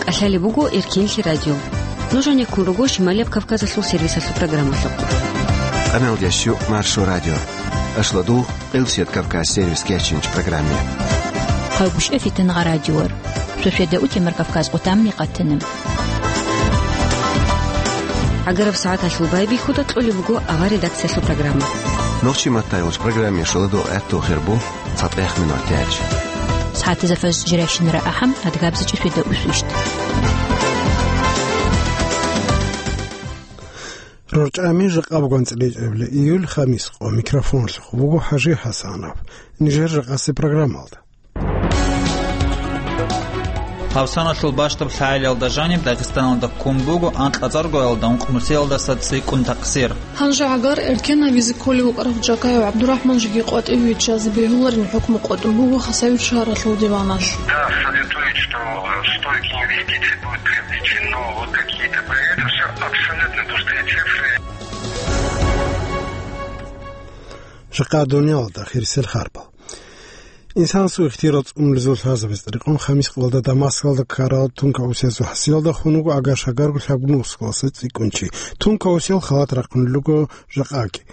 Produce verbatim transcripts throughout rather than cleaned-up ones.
ТӀалъалеб буго Эркенлъи радио. Нуж гьанеккун руго Шималияб Кавказалъул сервисалъул программалъухъ. Къаналдящу Маршо радио. Ашладу Къилсият Кавказ сервис кечинч программе. Гьав бушӀа фитангъа радиор. Шошеда утемар Кавказ къутамни къатана. ГӀагараб сагӀаталъул байбихьуда кьолеб буго авар редакциялъул программа. Нохчи маттайгъуч программе шоладу гӀатту хирбу. ЦатӀехъ минутач. СагӀатазда фаз жирайщинара ахӀам, адгабзачӀи шведа усвищт. РорчӀами жакъа буган цӀиличӀебли июль хамис къо микрофонлъухъ буго ХӀажи ХӀасанов. Нижер жакъаси программалда. Гьавсаналъул бащдаб лъагӀалиялда жаниб Дагъистаналда ккун буго анкьацӀаргоялда ункънусиялдаса цӀикӀкӀун такъсир. Гьанже гӀагар эркен гьабизе кколев вукӀарав Джакаев ГӀабдурахӀман жеги къватӀиве виччазе бегьуларин хӀукму къотӀун буго Хасавюрт шагьаралъул диваналъ. Да, советуют, что стоит инвестиции, будет приобретено вот какие-то проекты. Всё абсолютно пустые цифры. Жакъа дуниялалда хирисел харбал. Инсанасул ихтияр цӀунулезул лъазабиз тӀерикъун хамис къоялда Дамаскалда ккарал тункаусиязул хӀасилалда хун вуго агар шагарго лъабгун ускаласа цӀикӀкӀун чи. Тункаусиял халат рахъунел руго жакъаги.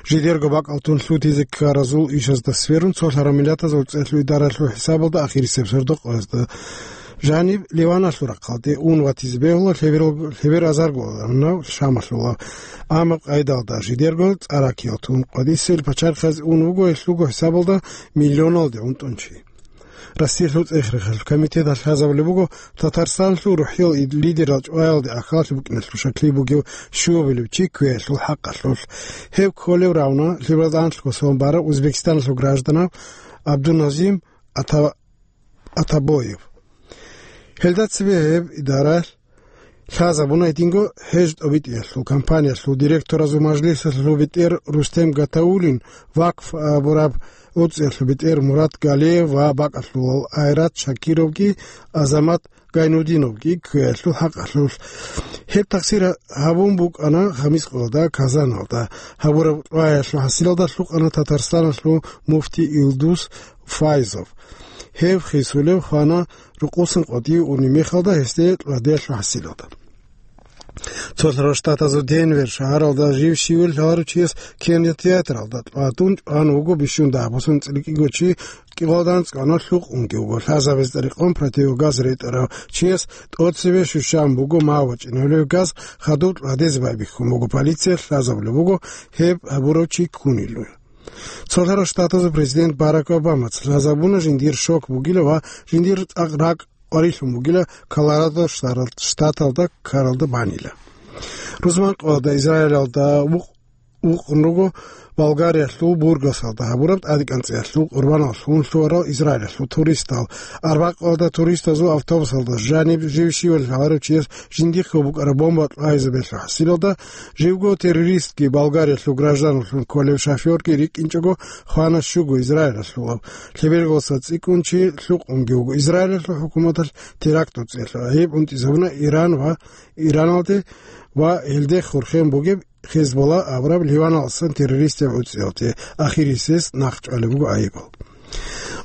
Жидерго бакӀал тун лъутизе ккаразул ишазда сверун, цо лъарамилатазул цӀехлъу идаралъул хӀисабалда ахирисеб сордо къоязда жаниб Ливаналъул рахъалде ун ватизе бегьула лъеберал-, лъебер азарго гьанав Шамалъула. Амма къайдалда жидерго цӀаракиял тун къватӀисел пачарихъазе ун вуго гьелъулго хӀисабалда миллионалде унтӀун чи. Россиялъул цӀех-рехалъул комитеталъ лъазабулеб буго Татарстаналъул рухӀиял ид-, лидерал чӀваялде ахаллъи букӀиналъул шаклъи бугев щуабилев чи кквеялъул хӀакъалъулъ. Гьев кколев равна лъебералда анлъго сон барав Узбекистаналъул гражданав Абдуназим Ата-, Атабоев. Гьелда цебе гьеб идаралъ лъазабуна гьединго ХӀеж тӀобитӀиялъул компаниялъул директоразул мажлисалъул бетӀер Рустем Гатауллин, вакф абураб гӀуцӀиялъул бетӀер Мурат Галиев ва бакӀалъулал Айрат Шакировги Азамат Гайнудиновги кквеялъул хӀакъалъулъ. Гьеб такъсир гьабун букӀана хамис къоялда Казаналда. Гьабураб кьваялъул хӀасилалда лъукъана Татарстаналъул муфти Илдус Файзов. Гьев хисулев хвана рукъусан къватӀив унеб мехалда гьесде кьвадиялъул хӀасилалда. Цолъарал Штатазул Денвер шагьаралда жив щивел лъаларав чияс кинотеатралда тӀватӀун чӀван вуго бищун дагьабусан цӀилкӀиго чи кӀикъоялда анцӀго гьанав лъукъунги вуго. Лъазабиз тӀерикъун противогаз ретӀарав чияс тӀоцебе щущан буго, мав вачӀинабулев газ хадуб тӀвадезе байбихьун буго. Полициялъ лъазабулеб буго гьеб гьабурав чи ккунилан. Цолъарал Штатазул президент Барак Обамаца лъазабуна жиндир шок бугила ва жиндир цӀакъ ракӀ къварилъун бугила Колорадо штарал-, штаталда ккаралда банила. Рузман къоялда Израилалда вукъ-, вукъун руго Болгариялъул Бургасалда гьабураб тӀадекӀанцӀиялъул къурбаналъ ун лъугьарал Израилалъул туристал. Арбакъоялда туристазул автобусалда жаниб жив щивел лъаларав чияс жиндихъго букӀараб бомба кьвайзе бегьулеб хӀасилалда, живго террористги Болгариялъул гражданлъун кколев шофёрги рикӀкӀинчӀого хвана щуго Израилалъулав. Лъеберго цӀикӀкӀун чи лъукъунги вуго. Израилалъул хӀукуматалъ теракт гӀуцӀиялъул гӀайиб унтӀизабуна Иран ва Ираналде ва гьелде хурхен бугеб Хезболла абураб Ливаналдасан террористиял гӀуцӀиялде, ахирисез нахъчӀвалеб буго гӀайибал.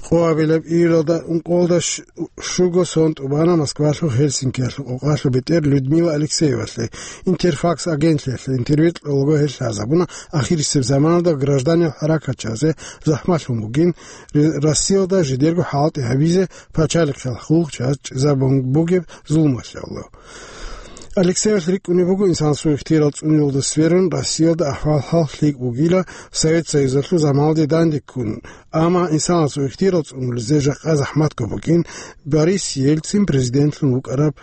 Къоабилаб июлалда ункъоялда щ-, щуго сон тӀубана Москвалъул Хельсинкиялъул къокъалъул бетӀер Людмила Алексеевалъе. Интерфакс агентлъиялъе интервью кьолаго гьел лъазабуна ахирисеб заманалда гражданиял хӀаракатчиясе захӀмалъун бугин, Ре-, Россиялда жидерго хӀалтӀи гьабизе пачалихъал хъулухъчияс чӀезабун бугеб зулмалъе. Алексеевалъ рикӀкӀунеб буго инсанасул ихтияр цӀунулда сверун Россиялда ахӀвал-хӀал лъикӀ бугила Совет Союзалъул заманалде дандеккун, амма инсанасул ихтияр цӀунулезе жакъа захӀматго букӀин Борис Ельцин президентлъун вукӀараб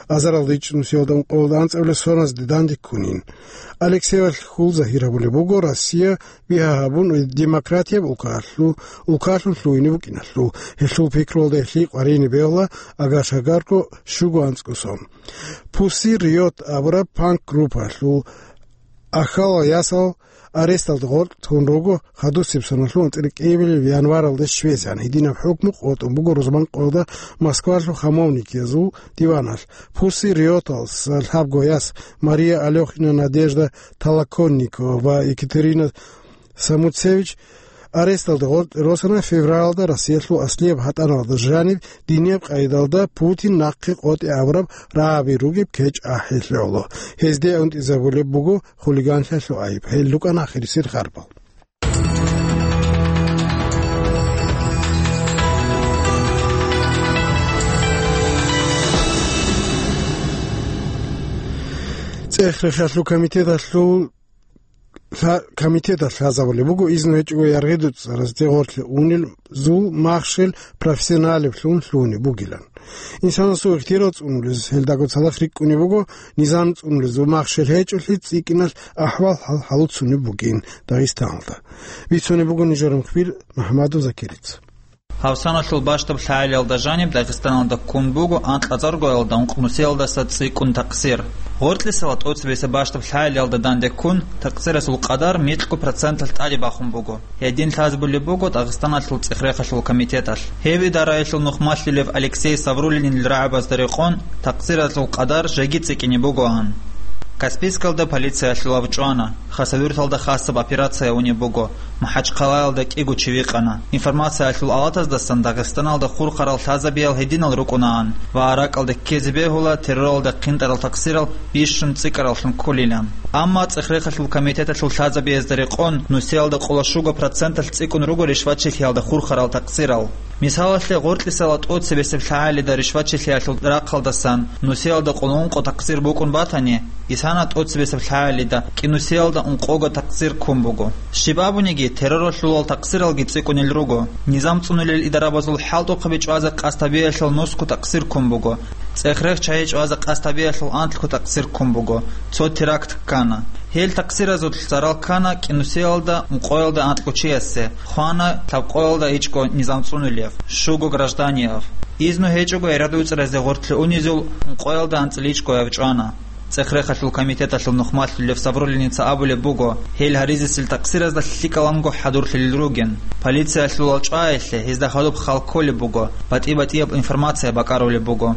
азарилда ичӀнусиялда ункъоялда анцӀабилеб соназде дандеккунин. Алексеевалъ хьул загьир гьабулеб буго Россия бигьа гьабун демократияб улкалъу-, улкалъун лъугьине букӀиналъул. Гьелъул пикруялда гьелъие къваригӀине бегьула агар шагарго щуго анцӀго сон. Пусси Риот абураб панк-группаялъул ахал ясал аресталда гъоркь тун руго хадусеб соналъул анцӀила кӀиабилеб январалда щвезегӀан. Гьединаб хӀукму къотӀун буго рузман къоялда Москвалъул хамовникиязул диваналъ. Пусси Риоталъ лъабго яс Мария Алёхина, Надежда Толоконникова ва Екатерина Самуцевич аресталда гъоркье росана февралда Россиялъул аслияб гьатӀаналда жаниб динияб къайдалда Путин нахъе къотӀи абураб рагӀаби ругеб кечӀ ахӀи лъоло. Гьезде унтӀизабулеб буго хулиганлъиялъул айиб. Гьел рукӀана ахирисел харбал. ЦӀех-рехалъул комитеталъул лъа-, комитеталъ лъазабулеб буго изну гьечӀого яргъи дуцӀаразде гъорлъе унел зул махщел профессионалиблъун лъугьунеб бугилан. Инсанасул ихтияр цӀунулез гьелдаго цадахъ рикӀкӀунеб буго, низам цӀунулезул махщел гьечӀолъи цӀикӀкӀиналъ ахӀвал-хӀал гьалуцунеб бугин Дагъистаналда. Бицунеб буго нижер мухбир МухӀамадов Закирица. Гьав саналъул бащдаб лъагӀалиялда жаниб Дагъистаналда ккун буго анкьазаргоялда ункънусиялдаса цӀикӀкӀун такъсир. Гъоркьисала тӀоцебесеб бащдаб лъагӀалиялда данде ккун, такъсирасул къадар микьго проценталъ тӀаде бахун буго. Гьедин лъазабулеб буго Дагъистаналъул цӀех-рехалъул комитеталъ. Гьев идараялъул нухмалъулев Алексей Савруллинил рагӀабазда рекъон, такъсиразул къадар жеги цӀикӀкӀине бугоан. Каспийскалда полициялъулав чӀвана, Хасавюрталда хасаб операция унеб буго, МахӀачхъалаялда кӀиго чи вихъана. Информациялъул алатаздасан Дагъистаналда хурхарал лъазабиял гьединал рукӀунаан ва ракӀалде ккезе бегьула терроралда хъинтӀарал такъсирал бищун цӀикӀкӀараллъун кколилан. Амма цӀех-рехалъул комитеталъул лъазабиязда рекъон, нусиялда къоло щуго проценталъ цӀикӀкӀун руго ришвачилъиялда хурхарал такъсирал. Мисалалъе, гъоркьисала тӀоцебесеб лъагӀалида ришвачилъиялъул рахъалдасан нусиялда къоло ункъо такъсир букӀун батани, исана тӀоцебесеб лъагӀалида кӀинусиялда ункъого такъсир ккун буго. Щиб абуниги, терроралъулал такъсиралги цӀикӀкӀунел руго. Низам цӀунулел идарабазул хӀалтӀухъаби чӀвазе къасд гьабиялъул нусго такъсир ккун буго. ЦӀех-рех чагьи чӀвазе къасд гьабиялъул анлъго такъсир ккун буго. Цо теракт ккана. Гьел такъсиразулъ зарал ккана кӀинусиялда ункъоялда анкьго чиясе, хвана лъабкъоялда ичӀго низам цӀунулев, щуго гражданиев. Изну гьечӀого ярагъ дуцӀаразе гъоркьлъи унезул ункъоялда анцӀила ичӀгояв чӀвана. ЦӀех-рехалъул комитеталъул нухмалъулев Савруллиница абулеб буго, гьел гьаризесил такъсиразда лъикӀаланго хӀадурлъулел ругин. Полициялъулал чӀваялъе гьезда хадуб хал кколеб буго, батӀи-батӀияб информация бакӀарулеб буго.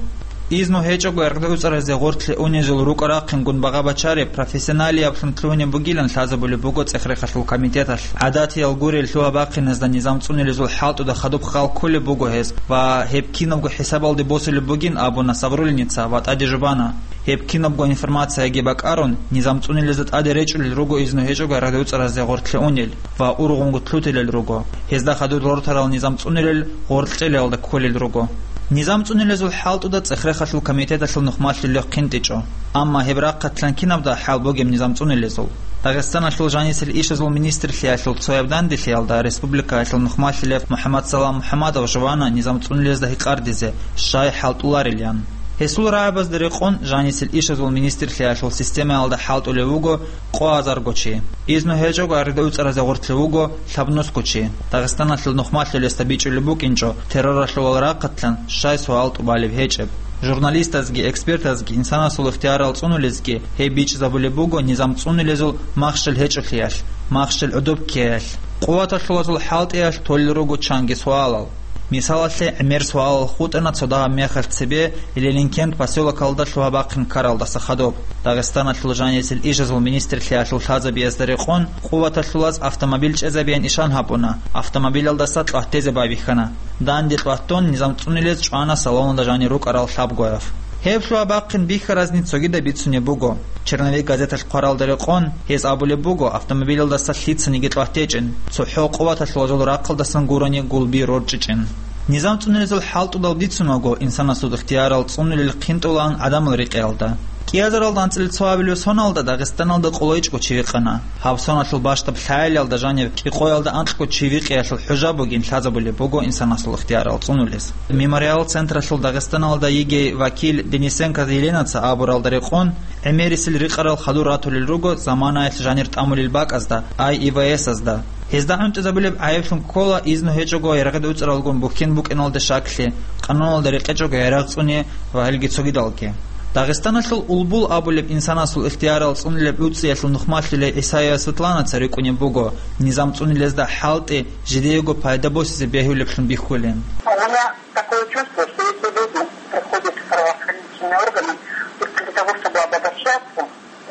Изну гьечӀого ярагъ дуцӀаразе гъоркьлъи унезул рукӀа-рахъингун багъа бачареб профессионалияблъун лъугьунеб бугилан лъазабулеб буго цӀех-рехалъул комитеталъ. ГӀадатиял гурел лъугьа-бахъиназда низам цӀунилезул хӀалтӀуда хадуб хал кколеб буго гьез ва гьеб кинабго хӀисабалде босулеб бугин абуна Савруллиница ва тӀаде жубана. Гьеб кинабго информацияги бакӀарун, низам цӀунилезда тӀаде речӀулел руго изну гьечӀого ярагъ дуцӀаразе гъоркьлъи унел ва ургъунго лъутилел руго. Гьезда хадур рортарал низам цӀунилел гъоркьлъиялда кколел руго. Низам цӀунилезул хӀалтӀуда цӀех-рехалъул комитеталъул нухмалъулев хъинтӀичӀо. Амма гьеб рахъалъан кинабда хӀал бугеб низам цӀунилезул? Дагъистаналъул жанисел ишазул министрлъиялъул цояб данделъиялда республикаялъул нухмалъулев МухӀаммадсалам МухӀаммадов жувана низам цӀунилезда гьикъардизе, щай хӀалтӀуларилан. Гьесул рагӀабазда рекъон жанисел ишазул министрлъиялъул системаялда хӀалтӀулев вуго къо азарго чи. Изну гьечӀого ярагъ дуцӀаразе гъоркьлъи вуго лъабнусго чи. Дагъистаналъул нухмалъулесда бичӀчӀулеб букӀинчӀо терроралъулал рахъалъан щай суал тӀубалеб гьечӀеб. Журналистазги, экспертазги инсанасул ихтиярал цӀунулезги гьеб бичӀчӀизабулеб буго низам цӀунилезул махщел гьечӀолъиялъ, махщел гӀодоб ккеялъ. Къуваталъулазул хӀалтӀиялъ толел руго чанги суалал. Мисалалъе, гӀемер суалал хутӀана цо дагьаб мехалъ цебе Ленинкент посёлокалда лъугьа-бахъин ккаралдаса хадуб. Дагъистаналъул жанисел ишазул министрлъиялъул лъазабиязда рекъон, къуваталъулаз автомобиль чӀезабеян ишан гьабуна, автомобилалдаса кьватӀезе байбихьана. Данде кьватӀун низам цӀунилез чӀвана салоналда жанир рукӀарал лъабгояв. Гьеб лъугьа-бахъин бихьаразни цогидаб бицунеб буго. Черновик газеталъ хъваралда рекъон, гьез абулеб буго, автомобилалдаса лъицаниги кьватӀечӀин, цохӀо къуваталъулазул рахъалдасан гурони гулби рорчӀичӀин. Низам цӀунилезул хӀалтӀудал бицунаго, инсанасул ихтиярал цӀунулел хъинтӀулаан гӀадамал рекъеялда. КӀиазаралда анцӀила цо абилеб соналда Дагъистаналда къоло ичӀго чи вихъана. Гьаб соналъул бащдаб лъагӀалиялда жаниб кӀикъоялда анкьго чи вихъиялъул хӀужа бугин лъазабулеб буго инсанасул ихтиярал цӀунулез. Мемориал централъул Дагъистаналда йигей вакил Денисенко Еленаца абуралда рекъон, гӀемерисел рикъарал хадур ратулел руго заманаялъ жанир тӀамулел бакӀазда, ай И В С-азда. Гьезда гӀунтӀизабулеб гӀайиблъун ккола изну гьечӀого ярагъ дуцӀаралгун бухьен букӀиналде щаклъи, къануналда рекъечӀого ярагъ цӀуни ва гьелги цогидалги. Дагъистаналъул Улбул абулеб инсанасул ихтиярал цӀунулеб гӀуцӀиялъул нухмалъулей ГӀисаева Светланаца рикӀкӀунеб буго, низам цӀунилезда хӀалтӀи жидеего пайда босизе бегьулеблъун бихьулин. У меня такое чувство, что эти люди приходят в правоохранительные органы только для того, чтобы обобщаться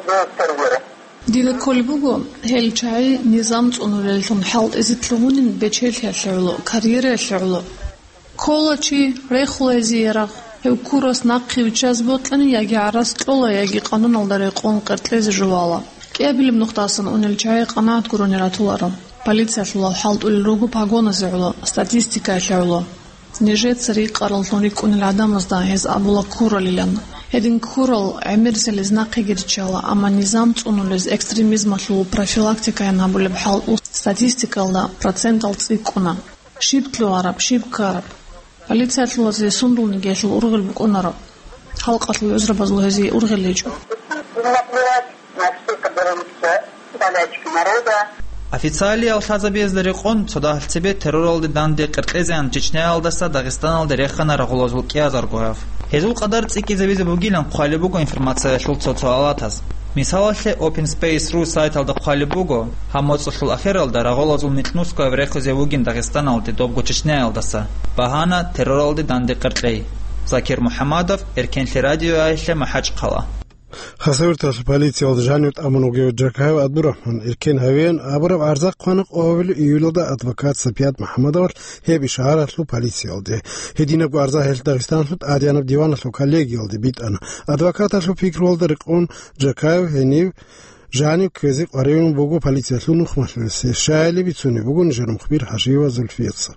за террором. Дида кколеб буго, гьел чагӀи низам цӀунулеллъун хӀалтӀизе лъугьунин бечелъиялъе гӀоло, карьераялъе гӀоло. Ккола чи, рехула гьезие рагъ, гьев ккурас нахъе виччазе бокьани, яги гӀарац кьола, яги къануналда рекъон къеркьезе жувала. КӀиабилеб нухдасан унел чагӀи къанагӀат гурони ратуларо. Полициялъулал хӀалтӀулел руго погоназе гӀоло, статистикаялъе гӀоло. Нижеца рикъараллъун рикӀкӀунел гӀадамазда гьез абула ккуралилан. Гьедин ккурал гӀемерисел гьез нахъеги риччала, амма низам цӀунулез экстремизмалъул профилактикаян гьабулеб хӀалтӀул статистикаялда процентал цӀикӀкӀуна. Щиб лъугьараб, щиб ккараб? Полициялъулазе сундулниги гьелъул ургъел букӀунаро. Халкъалъул гӀузрабазул гьезие ургъел гьечӀо. Официалиял лъазабиязда рекъон, цо дагьал цебе терроралде данде къеркьезеян Чечняялдаса Дагъистаналде рехана рагъулазул кӀиазарго гьав. Гьезул къадар цӀикӀкӀизабизе бугилан хъвалеб буго информациялъул цо-цо алатаз. Мисалалъе, Open Space ру сайталда хъвалеб буго, гьаб моцӀалъул ахиралда рагъулазул микьнусго гьав рехизе вугин Дагъистаналде, добго Чечняялдаса, багьана терроралде данде къеркьей. Закир МухӀаммадов, Эркенлъи радиоялъе, МахӀачхъала. Хасавюрталъ полициялда жанив тӀамун вугев Джакаев ГӀабдурахӀман эркен гьавеян абураб гӀарза хъвана къоабилеб июлалда адвокат Сапият МухӀаммадовалъ гьеб ишгьаралъул полициялде. Гьединабго гӀарза гьелъ Дагъистаналъул тӀадегӀанаб диваналъул коллегиялде битӀана. Адвокаталъул пикруялда рекъон Джакаев гьенив жанив кквезе къваригӀун буго полициялъул нухмалъулесе, щайили бицунеб буго нижер мухбир ХӀажиева Зульфияца.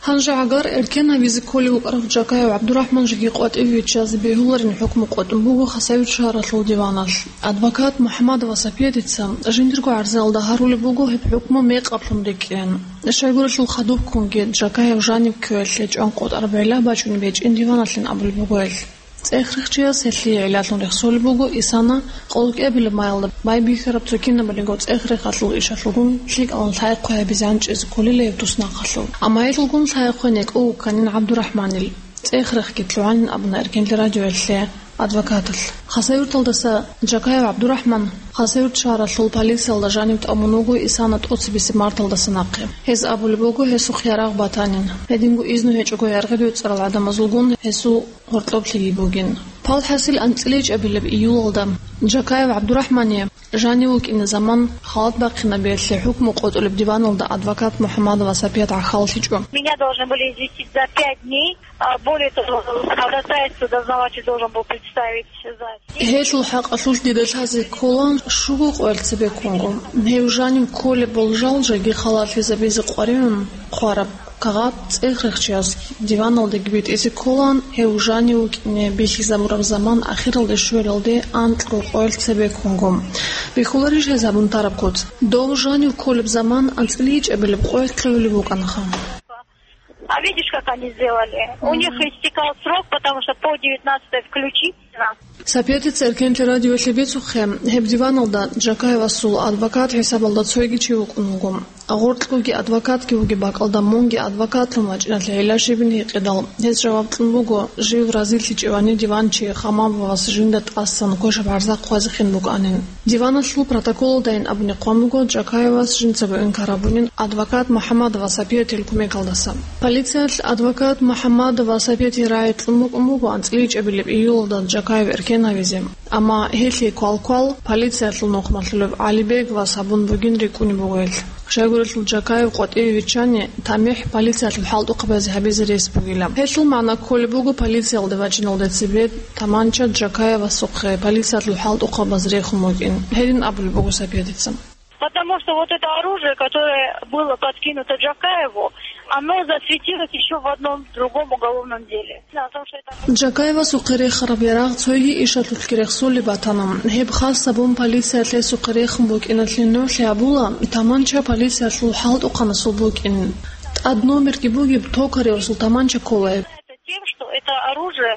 Гьанже гӀагар эркен гьавизе кколев вукӀарав Джакаев ГӀабдурахӀман жеги къватӀиве виччазе бегьуларин хӀукму къотӀун буго Хасавюрт шагьаралъул диваналъ. Адвокат МухӀаммадова Сапиятица жиндирго гӀарзаялда гьарулеб буго гьеб хӀукму мекъаблъун рекӀин. Щайгурелъул хадубккунги Джакаев жанив кквеялъе чӀван къотӀараб гӀилла бачӀунеб гьечӀин диваналъин абулеб буго гьелъ. ЦӀех-рехчияс гьелъие гӀиллалъун рехсолеб буго ИСАНА къоло кӀиабилеб майалда байбихьараб цо кинабалиго цӀех-рехалъул ишалъулгун лъикӀалан лъай-хъвай гьабизе гьанчӀизе кколила гьеб туснахъалъув. Амма гьелъулгун лъай-хъвай некӀо вукканин ГӀабдурахӀманил. ЦӀех-рехги лъугӀанин абуна Эркенлъи радиоялъе адвокаталъ. Хасавюрталдаса Джакаев ГӀабдурахӀман Хасавюрт шагьаралъул полициялда жанив тӀамун вуго ИСАНА тӀоцебесеб марталдаса нахъе. Гьез абулеб буго, гьесухъ ярагъ батанин. Гьединго изну гьечӀого яргъи доцӀарал гӀадамазулгун гьесул гьоркьоблъиги бугин. Палхасил анцӀила ичӀабилеб июлалда Джакаев ГӀабдурахӀмание жанив вукӀине заман халат бахъинабиялъе хӀукму къотӀулеб диваналда адвокат МухӀаммадова Сапият гӀахьаллъичӀо. Меня должны были известить за пять дней. А, более того, ходатайство дознаватель должен был представить за семь. Гьелъул хӀакъалъулъ дида лъазе ккола щуго къоялъ цебеккунго. Гьев жанив кколеб болжал жеги халалъизабизе къваригӀун хъвараб кагъат цӀех-рехчияс диваналдаги битӀизе кколаан, гьев жанив вукӀине бихьизабураб заман ахиралде щвелалде анкьго къоялъ цебеккунго. Бихьуларищ гьез гьабун тараб куц? Дов жанив кколеб заман анцӀила ичӀабилеб къоялъ кьолеб букӀанаха. А видишь, как они сделали? У них истекал срок, потому что по девятнадцатое включительно. Сапиятица Эркенлъи радиоялъе бицухъе, гьеб диваналда Джакаевасул адвокат хӀисабалда цойги чи вукӀун вуго. Гъоркьгоги адвокатги вугеб бакӀалда мунги адвокатлъун вачӀиналъе гӀилла щибин гьикъидал, гьес жаваб кьун буго, жив разилъичӀевани диванчи Хамабовас жинда тӀасан квешаб гӀарза хъвазехин букӀанин. Диваналъул протоколалдайин абуни хъван буго, Джакаевас жинцаго инкар гьабунин адвокат МухӀаммадова Сапиятил кумекалдаса. Полициялъ адвокат МухӀаммадова Сапиятил рагӀи кьун букӀун буго анцӀила ичӀабилеб июлалда Джакаев эркен гьавизе. Амма гьелъие квал-квал полициялъул нухмалъулев ГӀалибеговас гьабун бугин рикӀкӀунеб буго гьелъ. Щайгурелъул Джакаев къватӀиве виччани, тамихӀ полициялъул хӀалтӀухъабазе гьабизе рес бугила. Гьелъул магӀна кколеб буго полициялде вачӀиналде цебе таманча Джакаевасухъе полициялъул хӀалтӀухъабаз рехун вукӀин. Гьедин абулеб буго Сапиятица. Потому что вот это оружие, которое было подкинуто Джакаеву, оно засветилось ещё в одном другом уголовном деле. Дело в том, что это Джакаевасухъе рехараб ярагъ цойги ишалъулъги рехсолеб батана. Гьеб хас гьабун полициялъ гьесухъе рехун букӀиналъе нугӀлъи гьабула, таманча полициялъул хӀалтӀухъанасул букӀин. ТӀад номерги бугеб, токаревасул таманча ккола гьеб. Тем, что это оружие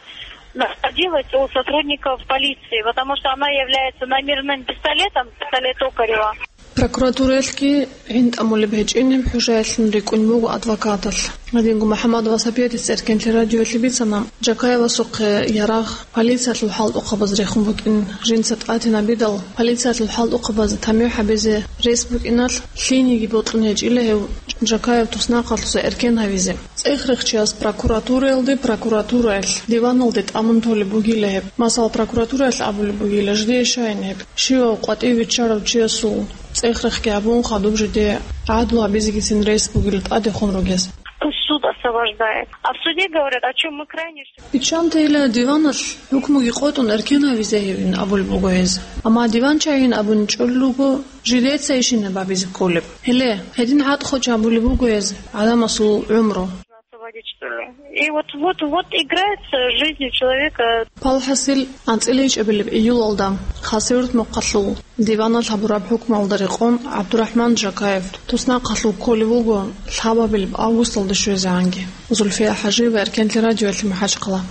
находилось у сотрудников полиции, потому что она является номерным пистолетом, пистолет Токарева. Прокуратураялъги гӀинтӀамулеб гьечӀин гьеб хӀужаялъун рикӀкӀун буго адвокаталъ. Гьадинго МухӀаммад Васапиятица Эркенлъи радиоялъе бицана, Джакаевасухъе ярагъ полициялъул хӀалтӀухъабаз рехун букӀин жинца тӀатинабидал, полициялъул хӀалтӀухъабаз тамихӀ гьабизе рес букӀиналъ, лъиениги бокьун гьечӀила гьев Джакаев туснахъалъуса эркен гьавизе. ЦӀех-рехчияс прокуратураялде, прокуратураялъ диваналде тӀамун толеб бугила гьеб. Масала, прокуратураялъ абулеб бугила жидее щайин гьеб. Щивав къватӀив виччарав чиясул цӀех-рехги гьабун, хадуб жидее гӀадлу гьабизегицин рес бугила тӀадехун ругес. Пусть суд освобождает. А в суде говорят, о чем мы крайне... Иччантайила диваналъ хӀукмуги къотӀун эркен гьавизе гьевин абулеб буго гьез. Амма диван чагьин абун чӀолел руго, жидеца ишинаб гьабизе кколеб. Гьеле, гьедин гӀатӀ-хоч гьабулеб буго гьез гӀадамасул гӀумру. Освободить, что ли? И вот, вот, вот играется с жизнью человека. Палхасил анцӀила ичӀабилеб июлалда Хасавюрт мухъалъул диваналъ гьабураб хӀукмалда рекъон ГӀабдурахӀман Джакаев туснахъалъув кколев вуго лъабабилеб августалда щвезегӀанги. Зульфия ХӀажиева, Эркенлъи радиоялъе, МахӀачхъала.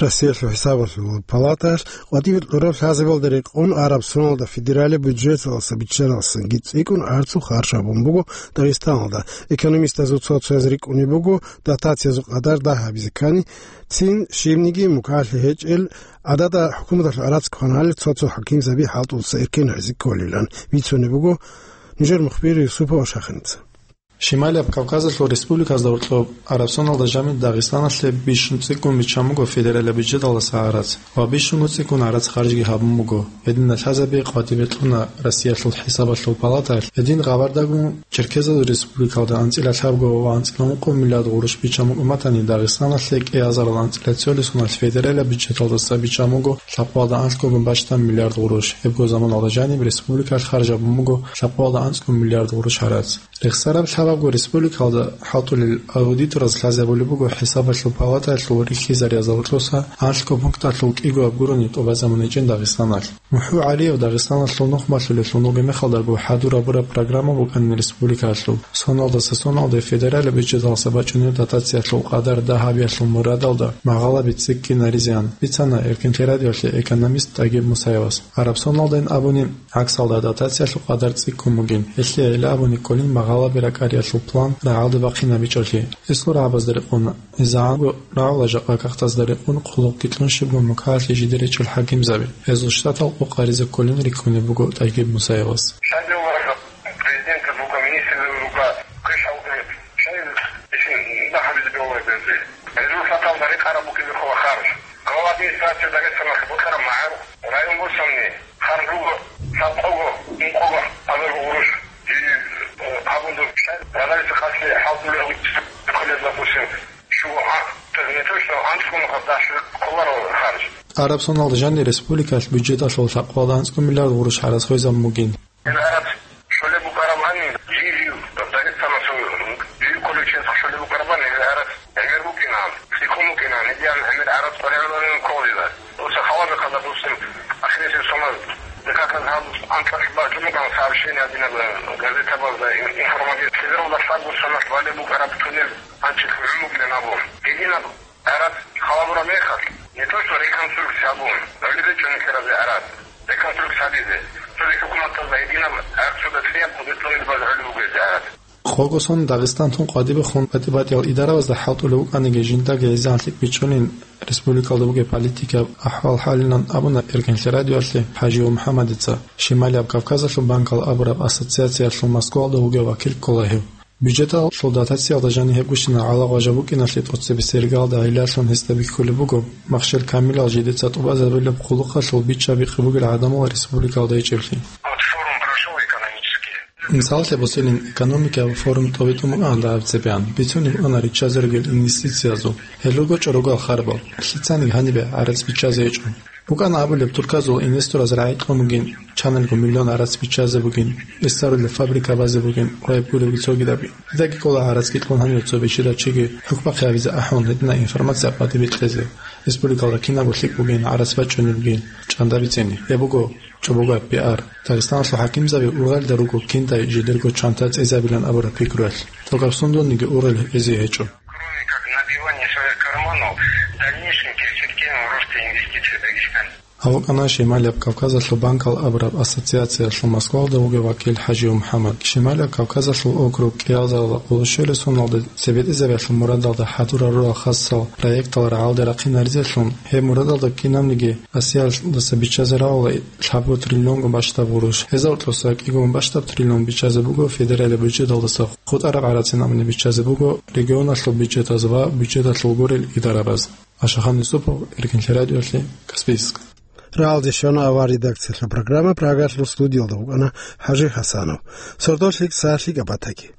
Россиялъул хӀисабалъул палатаялъ къватӀибе кьураб лъазабалда рекъон араб соналда федералияб бюджеталдаса биччаналдасанги цӀикӀкӀун арцу харж гьабун буго Дагъистаналда. Экономистазул цо-цояз рикӀкӀунеб буго дотациязул къадар дагь гьабизе ккани, цин щибниги мукӀалъи гьечӀел, гӀадада хӀукуматалъул гӀарац кваналел цо-цо хӀакимзаби хӀалтӀулца эркен гьаризе кколилан бицунеб буго нужер мухбир Юсупова Шахиница. Шималияб Кавказалъул республиказда гьоркьоб араб соналда жаниб Дагъистаналъе бищун цӀикӀкӀун биччан буго федералияб бюджеталдаса гӀарац ва бищунго цӀикӀкӀун гӀарац харжги гьабун буго. Гьединал лъазаби къватӀибе кьуна Россиялъул хӀисабалъул палатаялъ. Гьедин хабардагун, Черкезазул республикалда анцӀила лъабго ва анцӀила ункъо миллиард гъурущ биччан букӀун батани, Дагъистаналъе кӀиазарал анцӀила цолесуналъ федералияб бюджеталдаса биччан буго лъабкъоялда анлъгогун бащдаб миллиард гъурущ. Гьебго заманалда жаниб республикалъ харж гьабун буго лъабкъоялда анцӀго миллиард гъурущ гӀарац. Рехсараб лъабабго республикалда хӀалтӀулел аудитораз лъазабулеб буго хӀисабалъул палатаялъул рихьизариязда гьоркьоса анлъго пункталъул кӀиго аб гурони тӀубазабун гьечӀин Дагъистаналъ. МухӀу ГӀалиев Дагъистаналъул нух малъулелъул вугеб мехалдаго хӀадур гьабураб программа букӀанин республикаялъул, соналдаса соналде федералияб бюджеталдаса бачӀунеб дотациялъул къадар дагь гьабиялъул мурадалда магъалаби цӀикӀкӀинаризеан бицана Эркенлъи радиоялъе экономист ТӀагиб Мусаевас. Араб соналдайин абуни, гӀаксалда дотациялъул къадар цӀикӀкӀун бугин, гьелъие гӀела абуни кколин магъалаби ракӀариялъул план рагӀалде бахъинабичӀолъи. Гьесул рагӀабазда рекъон, гьезда гӀанго рагӀула жакъа кагътазда рекъон, хъулухъги кьун щибго мукӀалъи жидере чӀул хӀакимзаби. Гьезул штатал къокъ гьаризе кколин рикӀкӀунеб буго ТӀагиб Мусаевас. Президент рука, министр рука, кыш алгъи, шай ишин дахъабизе бегьулеб гьезие. Гьезул саталда рекъараб букӀизе ккола харж. Глава администрации Дагъистаналъ бокьараб магӀарул район босани, харж буго, лъабкъого, ункъого азарго гъурущ. Жий, э, гьабун дур шай, гьаналиса къаси хӀалтӀулев хъулез, допустим, щуго, а, не точно, анцӀго нухалъ даши кколаро харж. Араб соналда жаниб республикалъ бюджеталъул лъабкъоялда анцӀго миллиард гъурущ гӀарац хвезабун бугин. Гьел гӀарац щолеб букӀарабани, жий-жив, Дагъистаналъул жий кколев чиясда щолеб букӀарабани, гьел гӀарац гӀемер букӀина, цӀикӀкӀун букӀина, гьедин гӀемер гӀарац къваригӀунарин кколила. Дуца хабар бахъа, допустим, ахирисеб соналъ декада гьаб анцӀалъ бачӀун букӀана сообщение гьадинаб газетабазда, ин-, информатив. Севералда лъабго соналъ балеб букӀараб туннел анцӀил гӀун букӀинин абун. Гьединаб гӀарац халабураб мехалъ, не то что реконструкция абун, гӀолеб гьечӀо нилъеразе гӀарац реконструкция гьабизе. Цоги хӀукуматазда гьединаб гӀарцуда цӀияб хъубетлъунилбаз гӀолеб буго гьезда гӀарац. Къого сон Дагъистан тун къватӀибехун батӀи-батӀиял идарабазда хӀалтӀулев вукӀаниги, жиндаги гьезиан лъикӀ бичӀчӀунин республикалда бугеб политикаб ахӀвал-хӀалилан абуна Эркенлъи радиоялъе ХӀажиев МухӀаммадица. Шималияб Кавказалъул банкал абураб ассоциациялъул Москваялда вугев вакил ккола гьев. Бюджеталъул дотациялда жаниб гьебгощинал гӀалагъважа букӀиналъе тӀоцебесеб иргалда гӀиллалъун гьесда бихьулеб буго махщел камилал жидеца тӀубазабулеб хъулухъалъул биччаби-къи бугел гӀадамал республикалда гьечӀеблъи. Вот форум прошёл экономический. Мисаллъе босилин, экономикаяб форум тӀобитӀун букӀана дагьаб цебеян, бицунеб букӀана риччазе ругел инвестициязул. Гьел руго чӀорогал харбал, лъицаниги гьанибе гӀарац биччазе гьечӀо. БукӀана абулеб, турказул инвестораз рагӀи кьун бугин, чанелго миллион гӀарац биччазе бугин, ресарулеб фабрика базе бугин ва гьеб гуребги цогидаби. Дидаги кӀола гӀарацги кьун гьанив цо бищидав чиги хӀукмахъе гьавизе ахӀун, гьединаб информация къватӀибе кьезе, республикалда кинабго лъикӀ бугин, гӀарац бачӀунеб бугин чӀанда бицини. Гьеб буго чӀобогаб пиар. Дагъистаналъул хӀакимзаби ургъелда руго киндай жидерго чанта цӀезабилан абураб пикруялъ. Токаб сундулниги ургъел гьезие гьечӀо. Кроме как набивание своих карманов дальнейшим перспективам роста инвестиций в Дагестане. Гьав вукӀана Шималияб Кавказалъул банкал абураб ассоциациялъул Москвалда вугев вакил ХӀажи МухӀаммад. Шималияб Кавказалъул округ кӀиялдала къоло щуялъ соналда цебетӀезабиялъул мурадалда хӀадурал рурал хасал проектал рагӀалде рахъинаризелъун, гьеб мурадалда кинабниги Россиялдаса биччазе равала лъабго триллионго бащдаб гъурущ. Гьезда гьоркьоса кӀиго бащдаб триллион биччазе буго федералияб бюджеталдаса, хутӀараб гӀарацин абуни биччазе буго регионалъул бюджетаз ва бюджеталъул гурел идарабаз. Ашахан Юсупов, Иркинлъи радиолъи, Каспийск. Рагьалде щвана авар редакциялъул программа, Прагалъул студиялда вукӀана ХӀажи Хасанов. Сордолъи ксалъи габатаги.